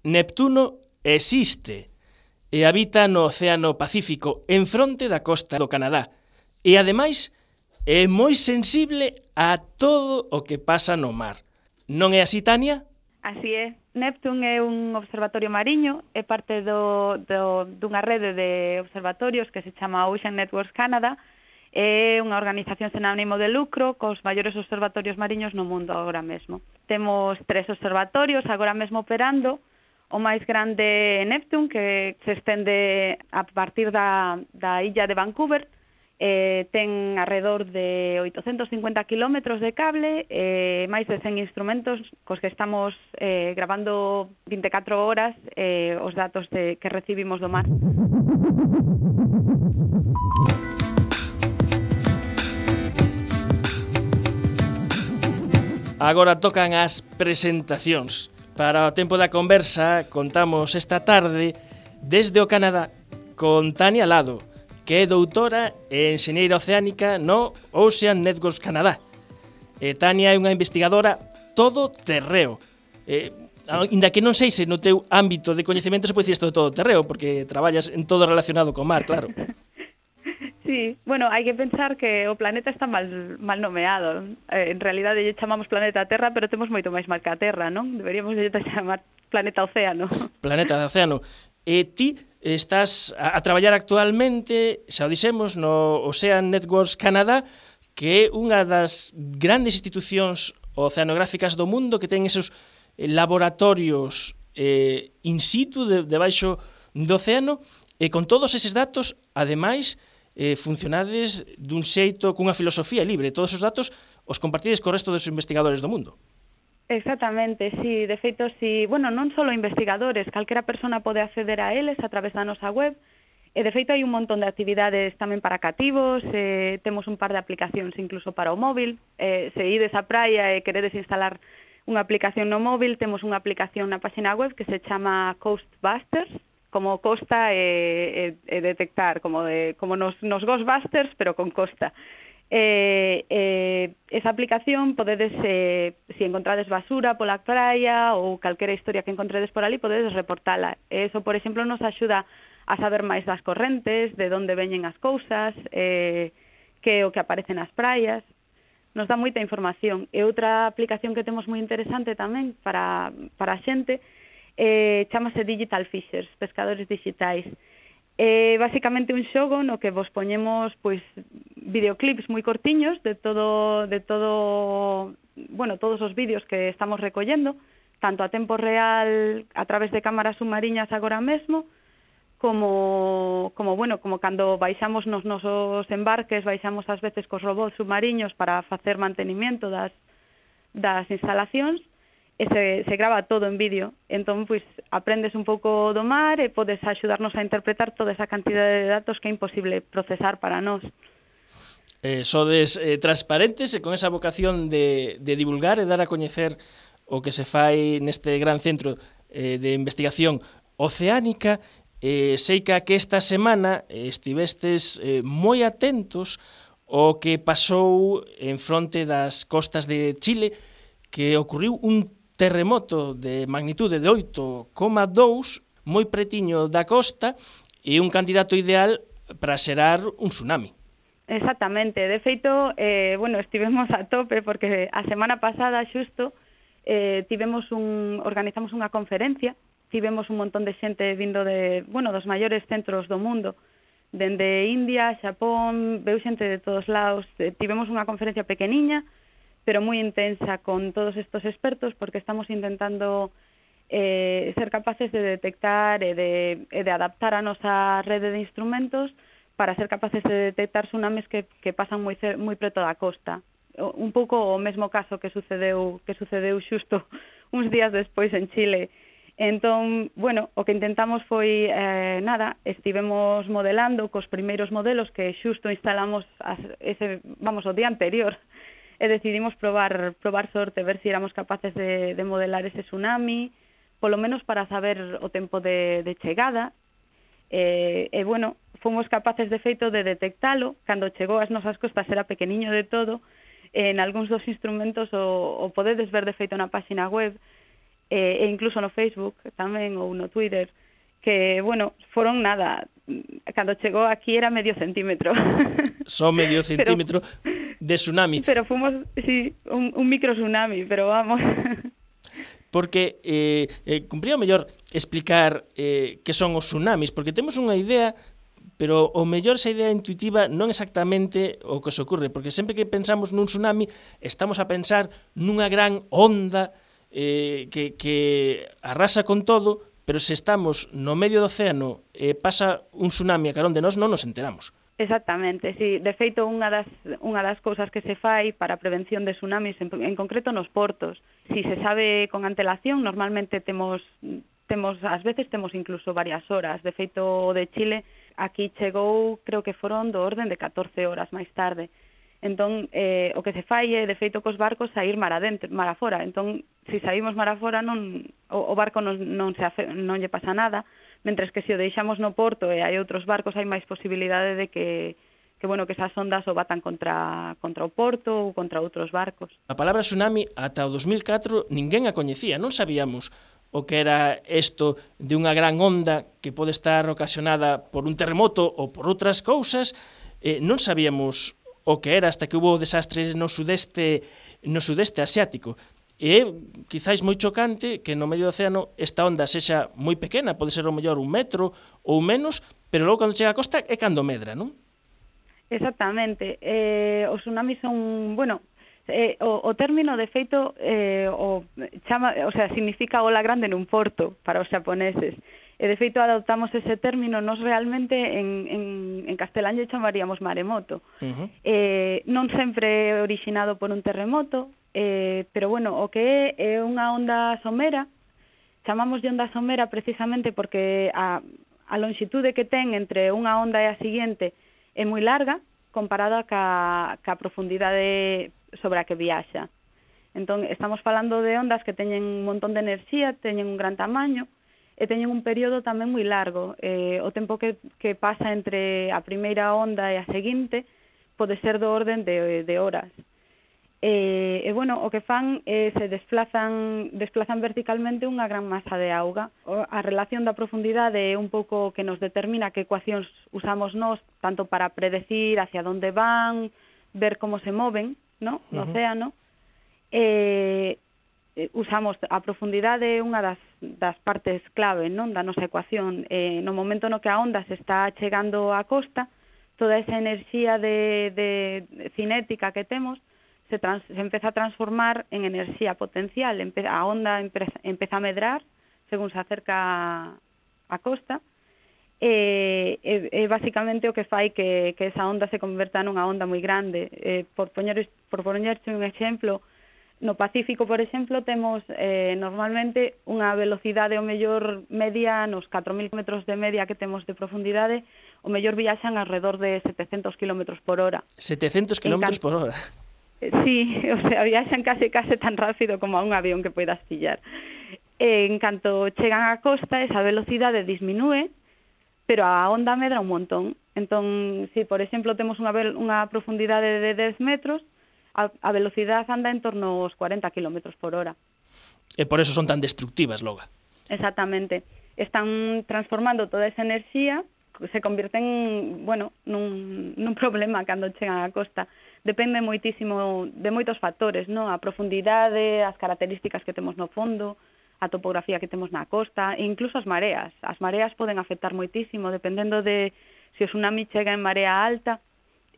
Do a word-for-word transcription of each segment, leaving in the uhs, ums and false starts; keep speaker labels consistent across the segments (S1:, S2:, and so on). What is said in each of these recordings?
S1: Neptuno existe e habita no Océano Pacífico en fronte da costa do Canadá e, ademais, é moi sensible a todo o que pasa no mar. Non é así, Tania?
S2: Así é. Neptune é un observatorio mariño, é parte do, do, dunha rede de observatorios que se chama Ocean Networks Canada. É unha organización sen ánimo de lucro cos maiores observatorios mariños no mundo agora mesmo. Temos tres observatorios agora mesmo operando. O máis grande é Neptune, que se estende a partir da, da illa de Vancouver. Eh, ten alrededor de oitocentos cincuenta kilómetros de cable, eh, máis de cen instrumentos cos que estamos eh, grabando vinte e catro horas eh, os datos de, que recibimos do mar.
S1: Agora tocan as presentacións. Para o tempo da conversa, contamos esta tarde desde o Canadá con Tania Lado, que é doutora e enxeñeira oceánica no Ocean Networks Canadá. E Tania é unha investigadora todo terreo. E, ainda que non sei se no teu ámbito de coñecemento se pode dicir isto de todo terreo, porque traballas en todo relacionado co mar, claro.
S2: Sí, bueno, hai que pensar que o planeta está mal, mal nomeado. Eh, en realidade lle chamamos planeta Terra, pero temos moito máis mal que a Terra, non? Deberíamos lle chamar planeta Océano.
S1: Planeta Océano. E ti estás a, a traballar actualmente, xa o dixemos, no Ocean Networks Canadá, que é unha das grandes institucións oceanográficas do mundo que ten esos laboratorios eh, in situ de, debaixo do océano, e con todos eses datos, ademais, eh, funcionades dun xeito, cunha filosofía libre. Todos os datos os compartides co resto dos investigadores do mundo.
S2: Exactamente, sí. De feito, sí, bueno, non só investigadores, calquera persona pode acceder a eles a través da nosa web. E, de feito, hai un montón de actividades tamén para cativos, eh, temos un par de aplicacións incluso para o móvil. Eh, se ides á praia e queredes instalar unha aplicación no móvil, temos unha aplicación na página web que se chama Coastbusters, como costa e, e, e detectar, como de, como nos, nos Ghostbusters, pero con costa. Eh, eh, esa aplicación podedes, eh, se si encontrades basura pola praia ou calquera historia que encontredes por ali, podedes reportala. Eso, por exemplo, nos axuda a saber máis das correntes, de onde veñen as cousas, eh, que é o que aparece nas praias. Nos dá moita información. E outra aplicación que temos moi interesante tamén para, para a xente Eh, chamase Digital Fishers, pescadores digitais. É eh, basicamente un xogo no que vos poñemos pois videoclips moi cortiños de todo de todo, bueno, todos os vídeos que estamos recollendo, tanto a tempo real a través de cámaras submariñas agora mesmo, como como bueno, como cando baixamos nos nosos embarques, baixamos ás veces cos robots submariños para facer mantenimiento das das instalacións. E se, se grava todo en vídeo. Entón, pois, aprendes un pouco do mar e podes axudarnos a interpretar toda esa cantidade de datos que é imposible procesar para nós.
S1: Eh, sodes eh, transparentes e con esa vocación de, de divulgar e dar a coñecer o que se fai neste gran centro eh, de investigación oceánica. Eh, sei que esta semana estivestes eh, moi atentos ao que pasou en fronte das costas de Chile, que ocurriu un terremoto de magnitude de oito coma dous, moi pretiño da costa, e un candidato ideal para xerar un tsunami.
S2: Exactamente. De feito, eh, bueno, estivemos a tope, porque a semana pasada, xusto, eh, tivemos un, organizamos unha conferencia, tivemos un montón de xente vindo de, bueno, dos maiores centros do mundo, dende India, Xapón, veu xente de todos lados. Eh, tivemos unha conferencia pequeniña, pero moi intensa con todos estos expertos, porque estamos intentando eh, ser capaces de detectar e de, e de adaptar a nosa rede de instrumentos para ser capaces de detectar tsunamis que, que pasan moi, moi preto da costa. Un pouco o mesmo caso que sucedeu que sucedeu xusto uns días despois en Chile. Entón, bueno, o que intentamos foi, eh, nada, estivemos modelando cos primeiros modelos que xusto instalamos as, ese, vamos, o día anterior, e decidimos probar probar sorte, ver se si éramos capaces de, de modelar ese tsunami, polo menos para saber o tempo de, de chegada. E, e, bueno, fomos capaces de feito de detectalo. Cando chegou ás nosas costas era pequeniño de todo. En algúns dos instrumentos o, o podedes ver de feito na página web. e, e incluso no Facebook tamén ou no Twitter, que, bueno, foron nada, cando chegou aquí era medio centímetro.
S1: Só medio centímetro pero, de tsunami.
S2: Pero fomos, sí, un, un micro tsunami, pero vamos.
S1: Porque eh, eh, cumpría o mellor explicar eh, que son os tsunamis, porque temos unha idea, pero o mellor esa idea intuitiva non exactamente o que se ocurre, porque sempre que pensamos nun tsunami estamos a pensar nunha gran onda eh, que, que arrasa con todo, pero se estamos no medio do océano e pasa un tsunami a carón de nós, non nos enteramos.
S2: Exactamente, sí. De feito, unha das, unha das cousas que se fai para a prevención de tsunamis, en, en concreto nos portos, si se sabe con antelación, normalmente temos, temos, ás veces temos incluso varias horas. De feito, o de Chile, aquí chegou, creo que foron do orden de catorce horas máis tarde. Entón, eh, o que se fai é, de feito, cos barcos sair mar adentro, mar afora. Entón, se saímos mar afora, non, o, o barco non, non, se afe, non lle pasa nada, mentres que se o deixamos no porto e hai outros barcos, hai máis posibilidade de que, que, bueno, que esas ondas o batan contra, contra o porto ou contra outros barcos.
S1: A palabra tsunami, ata o dos mil catro, ninguén a coñecía, non sabíamos o que era isto de unha gran onda que pode estar ocasionada por un terremoto ou por outras cousas, eh, non sabíamos o que era hasta que hubo desastres no sudeste no sudeste asiático. E é quizáis moi chocante que no medio do océano esta onda sexa moi pequena, pode ser o mellor un metro ou menos, pero logo cando chega a costa é cando medra, non?
S2: Exactamente. Eh, os tsunamis son, bueno, eh, o, o término de feito eh, o chama, o sea, significa ola grande nun porto para os xaponeses. E de feito adoptamos ese término, nos realmente en, en, en castelán lle chamaríamos maremoto. Uh-huh. Eh, non sempre é orixinado por un terremoto, eh, pero bueno, o que é é unha onda somera, chamamos de onda somera precisamente porque a, a longitude que ten entre unha onda e a seguinte é moi larga comparada ca, ca profundidade sobre a que viaxa. Entón, estamos falando de ondas que teñen un montón de enerxía, teñen un gran tamaño, e teñen un período tamén moi largo. Eh, o tempo que, que pasa entre a primeira onda e a seguinte pode ser do orden de, de horas. E, e, bueno, o que fan é se desplazan, desplazan verticalmente unha gran masa de auga. O, a relación da profundidade é un pouco que nos determina que ecuacións usamos nós, tanto para predecir hacia onde van, ver como se moven, no, no uh-huh. océano. E usamos a profundidade unha das, das partes clave, non, da nosa ecuación. Eh, no momento no que a onda se está chegando á costa, toda esa enerxía de, de cinética que temos se, trans, se empeza a transformar en enerxía potencial. Empe, a onda empeza, empeza a medrar según se acerca á costa, e, e, e basicamente o que fai que, que esa onda se converta nunha onda moi grande. Eh, por poñer, por poñerche un exemplo, no Pacífico, por exemplo, temos eh, normalmente unha velocidade o mellor media nos catro mil metros de media que temos de profundidade, o mellor viaxan alrededor de setecentos kilómetros por hora.
S1: setecentos kilómetros por hora?
S2: Sí, o sea, viaxan case case tan rápido como a un avión que poidas pillar. E, en canto chegan á costa, esa velocidade disminúe, pero a onda medra un montón. Entón, se, por exemplo, temos unha, unha profundidade de dez metros, a, a velocidade anda en torno aos cuarenta kilómetros por hora.
S1: E por eso son tan destructivas, logo.
S2: Exactamente. Están transformando toda esa enerxía, se convierten, bueno, nun, nun problema cando chegan á costa. Depende moitísimo de moitos factores, non? A profundidade, as características que temos no fondo, a topografía que temos na costa, e incluso as mareas. As mareas poden afectar moitísimo, dependendo de se o tsunami chega en marea alta,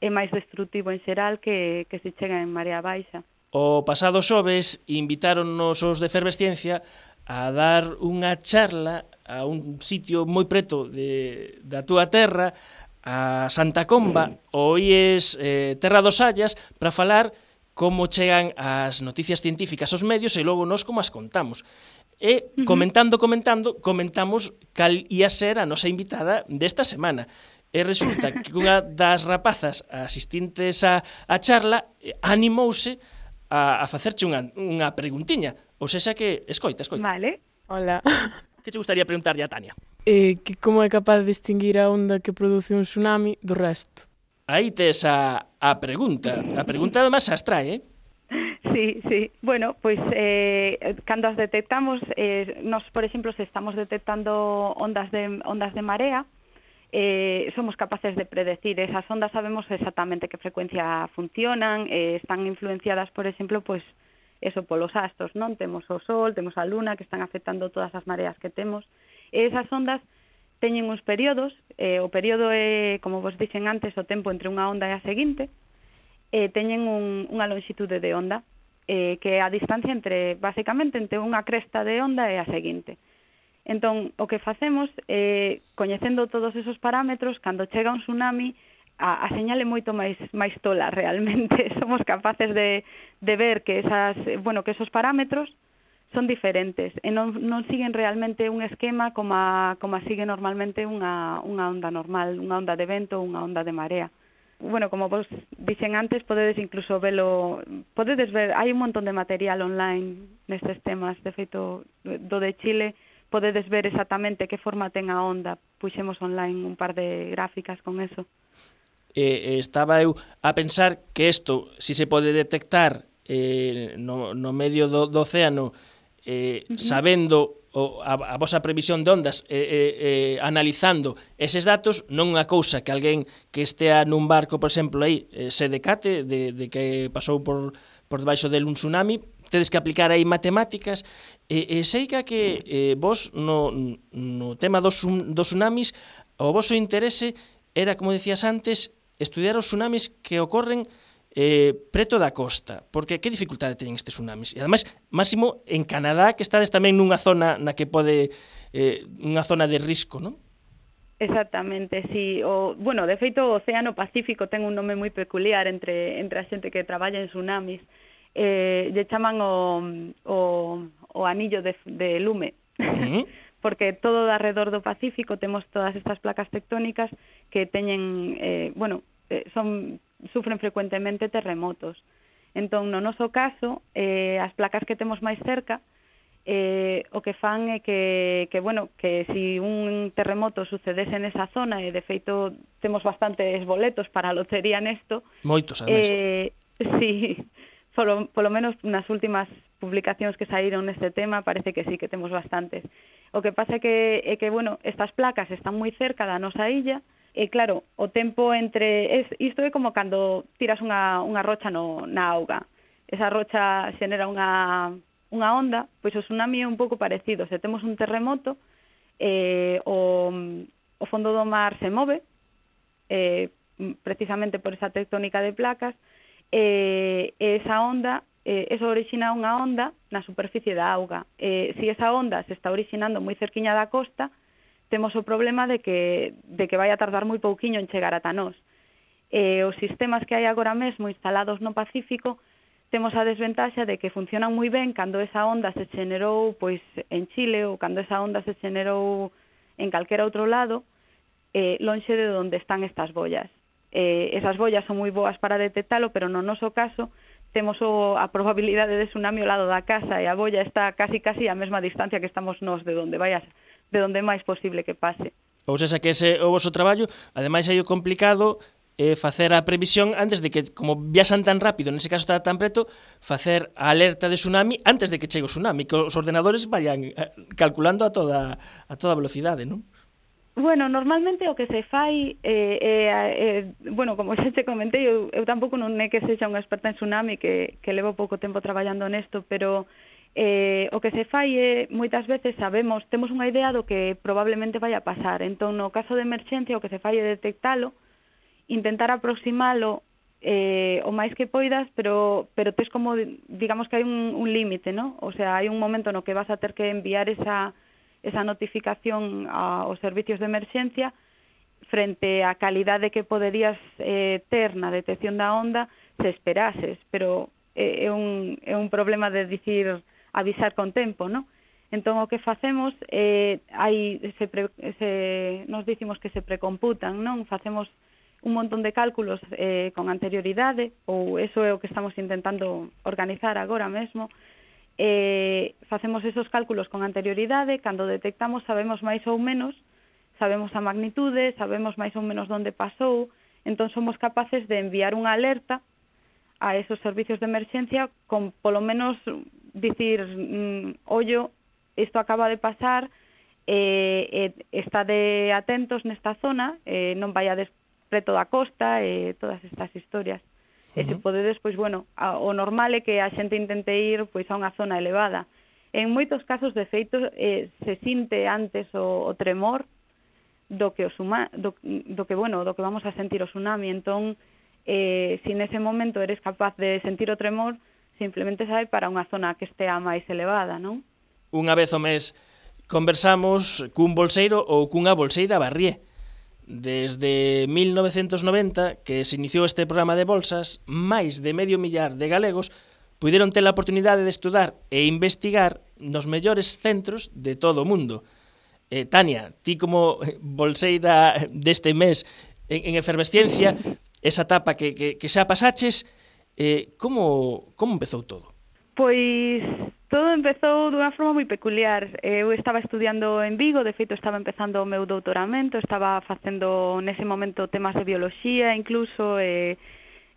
S2: é máis destrutivo en xeral que, que se chega en marea baixa.
S1: O pasado xoves invitáronnos os de Efervesciencia a dar unha charla a un sitio moi preto de, da túa terra, a Santa Comba, o I E S eh, Terra dos Sallas, para falar como chegan as noticias científicas aos medios e logo nós como as contamos. E comentando, comentando, comentamos cal ia ser a nosa invitada desta semana. E resulta que unha das rapazas asistentes a, a charla animouse a, a facerche unha, unha preguntiña. Ou sexa que, escoita, escoita.
S2: Vale.
S3: Hola.
S1: Que te gustaría preguntarlle a Tania?
S3: Eh, que como é capaz de distinguir a onda que produce un tsunami do resto?
S1: Aí tes a, a pregunta. A pregunta además as trae, eh?
S2: Sí, Sí, sí. Bueno, pois eh, cando as detectamos, eh, nos, por exemplo, se estamos detectando ondas de ondas de marea, eh, somos capaces de predecir esas ondas, sabemos exactamente que frecuencia funcionan, eh, están influenciadas, por exemplo, pois eso polos astros, non? Temos o Sol, temos a Luna, que están afectando todas as mareas que temos. E esas ondas teñen uns períodos, eh, o período é, como vos dixen antes, o tempo entre unha onda e a seguinte, e teñen un, unha longitude de onda, eh, que é a distancia entre, basicamente, entre unha cresta de onda e a seguinte. Entón, o que facemos, eh, coñecendo todos esos parámetros, cando chega un tsunami, a, a señal é moito máis, máis tola, realmente. Somos capaces de, de ver que, esas, bueno, que esos parámetros son diferentes e non, non siguen realmente un esquema como a, como a sigue normalmente unha, unha onda normal, unha onda de vento ou unha onda de marea. Bueno, como vos dixen antes, podedes incluso velo, podedes ver, hai un montón de material online nestes temas, de feito, do de Chile, podedes ver exactamente que forma ten a onda, puxemos online un par de gráficas con eso.
S1: Eh, estaba eu a pensar que isto, si se pode detectar eh, no, no medio do, do océano, eh, uh-huh. sabendo o, a, a vosa previsión de ondas, eh, eh, eh, analizando eses datos, non unha cousa que alguén que estea nun barco, por exemplo, aí, eh, se decate de, de que pasou por, por debaixo del un tsunami, tedes que aplicar aí matemáticas, e, e sei que, que eh, vos no, no tema dos, dos tsunamis, o voso interese era, como decías antes, estudiar os tsunamis que ocorren eh, preto da costa, porque que dificultade teñen estes tsunamis? E ademais, máximo en Canadá, que estades tamén nunha zona na que pode eh, unha zona de risco, non?
S2: Exactamente, sí. O, bueno, de feito, o Océano Pacífico ten un nome moi peculiar entre, entre a xente que traballa en tsunamis. Eh, lle chaman o, o, o anillo de, de lume. Uh-huh. Porque todo alrededor do Pacífico temos todas estas placas tectónicas que teñen, eh, bueno, eh, son sufren frecuentemente terremotos. Entón, no noso caso, eh, as placas que temos máis cerca, eh, o que fan é que, que, bueno, que si un terremoto sucedese nesa zona, e de feito temos bastantes boletos para a lotería nesto.
S1: Moitos, ademais.
S2: Eh, sí, polo, polo menos nas últimas publicacións que saíron neste tema, parece que sí, que temos bastantes. O que pasa é que, é que bueno, estas placas están moi cerca da nosa illa, e claro, o tempo entre... Es, isto é como cando tiras unha, unha rocha no, na auga. Esa rocha xenera unha, unha onda, pois o tsunami é un pouco parecido. Se temos un terremoto, eh, o, o fondo do mar se move, eh, precisamente por esa tectónica de placas, e eh, esa onda, eh, eso orixina unha onda na superficie da auga. Eh, se esa onda se está orixinando moi cerquiña da costa, temos o problema de que, de que vai a tardar moi pouquiño en chegar ata nós. Eh, os sistemas que hai agora mesmo instalados no Pacífico temos a desventaxa de que funcionan moi ben cando esa onda se xenerou pois, en Chile ou cando esa onda se xenerou en calquera outro lado, eh, lonxe de onde están estas bollas. Eh, esas bollas son moi boas para detectalo, pero no noso caso temos o, a probabilidade de tsunami ao lado da casa e a bolla está casi casi a mesma distancia que estamos nós de onde vai a de onde é máis posible que pase.
S1: Ou seja, que ese o voso traballo, ademais é o complicado é facer a previsión antes de que, como viaxan tan rápido, nese caso está tan preto, facer a alerta de tsunami antes de que chegue o tsunami, que os ordenadores vayan calculando a toda a toda velocidade, non?
S2: Bueno, normalmente o que se fai, eh, eh, eh, bueno, como xa te comentei, eu, eu tampouco non é que sexa unha experta en tsunami, que, que levo pouco tempo traballando nesto, pero eh, o que se fai é, moitas veces sabemos, temos unha idea do que probablemente vai a pasar. Entón, no caso de emerxencia, o que se fai é detectalo, intentar aproximalo eh, o máis que poidas, pero pero tes como, digamos que hai un, un límite, ¿no? O sea, hai un momento no que vas a ter que enviar esa, esa notificación aos servicios de emerxencia frente á calidade que poderías eh, ter na detección da onda se esperases, pero é, é, un, é un problema de dicir avisar con tempo, ¿no? Entón, o que facemos, eh, hai, se, pre, se nos dicimos que se precomputan, non? Facemos un montón de cálculos eh, con anterioridade, ou eso é o que estamos intentando organizar agora mesmo. Eh, facemos esos cálculos con anterioridade, cando detectamos sabemos máis ou menos, sabemos a magnitude, sabemos máis ou menos onde pasou, entón somos capaces de enviar unha alerta a esos servicios de emerxencia con polo menos dicir, mm, ollo, isto acaba de pasar, eh, eh, estade atentos nesta zona, eh, non vaiades preto da costa, e eh, todas estas historias. Uh-huh. E se podedes, pois, bueno, a, o normal é que a xente intente ir pois a unha zona elevada. En moitos casos, de feito, eh, se sinte antes o, o tremor do que o suma, do, do que, bueno, do que vamos a sentir o tsunami. Entón, eh, se nese momento eres capaz de sentir o tremor, simplemente sabe para unha zona que estea máis elevada, non?
S1: Unha vez ao mes conversamos cun bolseiro ou cunha bolseira barrié. Desde mil novecentos noventa, que se iniciou este programa de bolsas, máis de medio millar de galegos puideron ter a oportunidade de estudar e investigar nos mellores centros de todo o mundo. Eh, Tania, ti como bolseira deste mes en, en efervesciencia, esa etapa que, que, que xa pasaches, eh, como, como empezou todo?
S2: Pois todo empezou dunha forma moi peculiar. Eu estaba estudiando en Vigo, de feito estaba empezando o meu doutoramento, estaba facendo nese momento temas de bioloxía, incluso, e,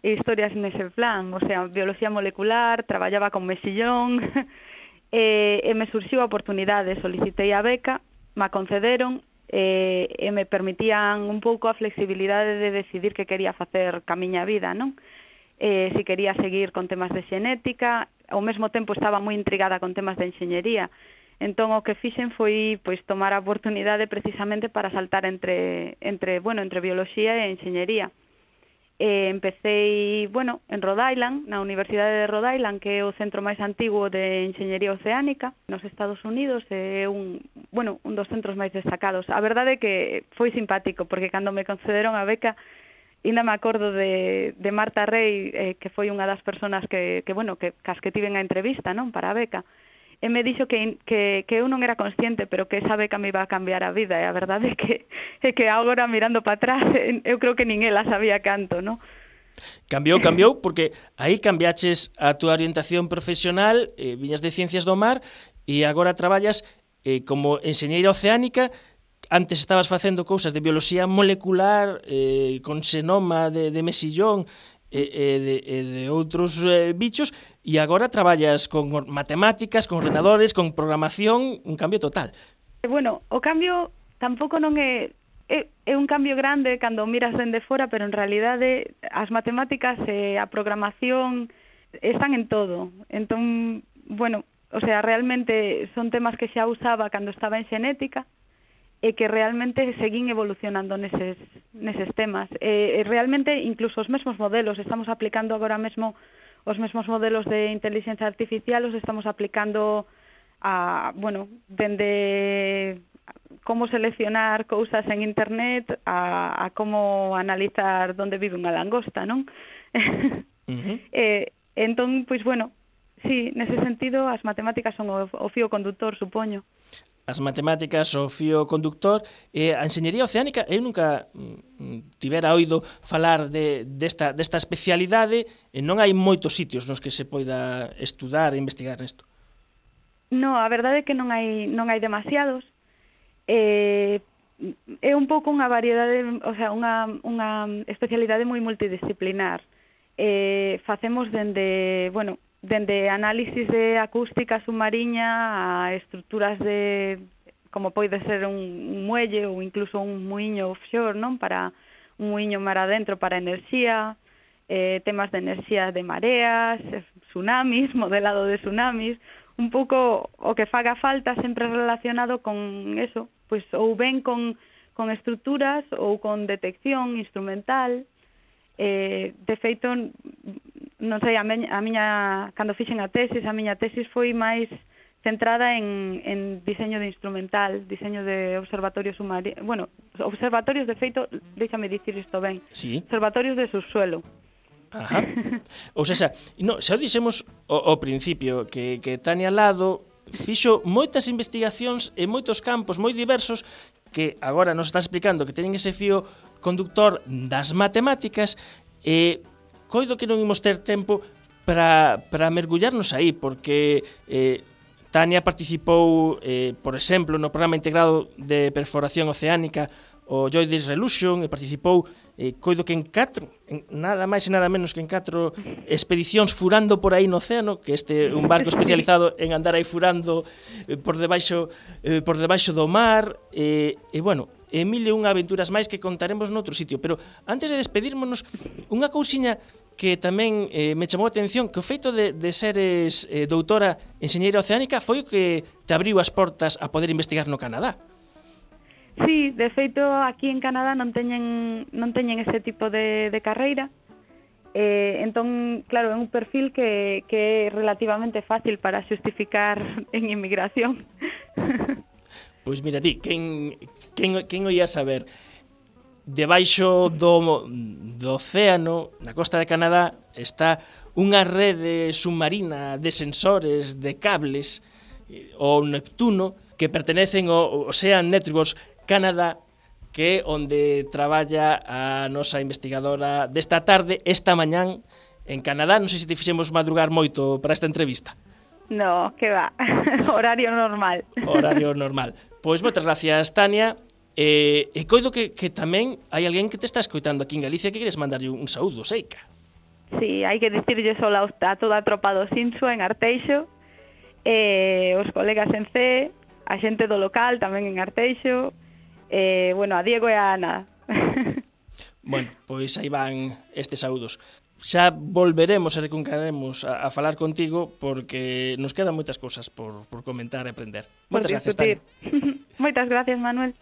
S2: e historias nese plan, o sea, bioloxía molecular, traballaba con mexillón, e, e me surxiu a oportunidade, solicitei a beca, me concederon, e, e me permitían un pouco a flexibilidade de decidir que quería facer ca miña vida, non? Eh, se quería seguir con temas de xenética, ao mesmo tempo estaba moi intrigada con temas de enxeñería. Entón o que fixen foi pois tomar a oportunidade precisamente para saltar entre entre, bueno, entre bioloxía e enxeñería. Eh, empecei, bueno, en Rhode Island, na Universidade de Rhode Island, que é o centro máis antigo de enxeñería oceánica nos Estados Unidos, é un, bueno, un dos centros máis destacados. A verdade é que foi simpático, porque cando me concederon a beca, ainda me acordo de, de Marta Rey, eh, que foi unha das persoas que, que bueno, que, cas que tiven a entrevista, non, para a beca, e me dixo que, que, que eu non era consciente, pero que esa beca me iba a cambiar a vida, e a verdade é que, é que agora, mirando para atrás, eu creo que nin ela sabía canto, non?
S1: Cambiou, cambiou, porque aí cambiaches a túa orientación profesional, eh, viñas de Ciencias do Mar, e agora traballas eh, como enxeñeira oceánica. Antes estabas facendo cousas de bioloxía molecular, eh, con xenoma de, de mesillón e, e, de, e de outros eh, bichos, e agora traballas con matemáticas, con ordenadores, con programación, un cambio total.
S2: Bueno, o cambio tampouco non é, é, é un cambio grande cando miras dende fora, pero en realidade as matemáticas e a programación están en todo. Entón, bueno, o sea, realmente son temas que xa usaba cando estaba en xenética, e que realmente seguín evolucionando neses, neses temas. E, e realmente, incluso os mesmos modelos, estamos aplicando agora mesmo os mesmos modelos de inteligencia artificial, os estamos aplicando a, bueno, dende como seleccionar cousas en internet a, a como analizar onde vive unha langosta, non? Uh-huh. e, entón, pois, bueno, sí, nese sentido, as matemáticas son o, o fío conductor, supoño.
S1: As matemáticas, o fío conductor, e a enxeñería oceánica, eu nunca mm, tivera oído falar de, desta, desta especialidade, e non hai moitos sitios nos que se poida estudar e investigar nesto.
S2: No, a verdade é que non hai, non hai demasiados. Eh, é un pouco unha variedade, o sea, unha, unha especialidade moi multidisciplinar. Eh, facemos dende, bueno, dende análisis de acústica submarina a estruturas de, como pode ser un, un muelle ou incluso un muiño offshore, non? Para un muiño mar adentro para enerxía, eh, temas de enerxía de mareas, tsunamis, modelado de tsunamis, un pouco o que faga falta sempre relacionado con eso, pois ou ben con, con estruturas ou con detección instrumental. Eh, de feito, non sei, a miña, a miña cando fixen a tesis, a miña tesis foi máis centrada en, en diseño de instrumental, diseño de observatorios submarinos, bueno, observatorios, de feito, déxame dicir isto ben,
S1: sí.
S2: Observatorios de subsuelo.
S1: Ajá. Ou seja, no, xa o dixemos ao, ao principio que, que Tania Lado fixo moitas investigacións en moitos campos moi diversos que agora nos está explicando que teñen ese fío conductor das matemáticas, e coido que non imos ter tempo para, para mergullarnos aí, porque eh, Tania participou, eh, por exemplo, no programa integrado de perforación oceánica o Joyous Revolution, e participou, eh, coido que en catro, en nada máis e nada menos que en catro expedicións furando por aí no océano, que este é un barco especializado en andar aí furando eh, por debaixo eh, por debaixo do mar, e, e bueno, e mil e unha aventuras máis que contaremos noutro sitio. Pero antes de despedirmonos, unha cousiña que tamén eh, me chamou a atención, que o feito de, de seres eh, doutora enxeñeira oceánica foi o que te abriu as portas a poder investigar no Canadá.
S2: Sí, de feito, aquí en Canadá non teñen non teñen ese tipo de, de carreira. Eh, entón, claro, é un perfil que, que é relativamente fácil para xustificar en inmigración.
S1: Pois mira ti, quen, quen, quen o ia saber? Debaixo do, do océano, na costa de Canadá, está unha rede submarina de sensores, de cables, o Neptuno, que pertenecen ao Ocean Networks Canadá, que é onde traballa a nosa investigadora desta tarde, esta mañán, en Canadá. Non sei se te fixemos madrugar moito para esta entrevista.
S2: No, que va, horario normal.
S1: Horario normal. Pois moitas gracias, Tania. E, e coido que, que tamén hai alguén que te está escoitando aquí en Galicia que queres mandarlle un saúdo, Seica.
S2: Sí, hai que dicirlle só a toda a tropa do Sinsu en Arteixo, e os colegas en C, a xente do local tamén en Arteixo, e, bueno, a Diego e a Ana.
S1: Bueno, pois aí van estes saúdos. Xa volveremos e recuncaremos a, a falar contigo porque nos quedan moitas cousas por, por comentar e aprender. Moitas gracias, Tania.
S2: Moitas gracias, Manuel.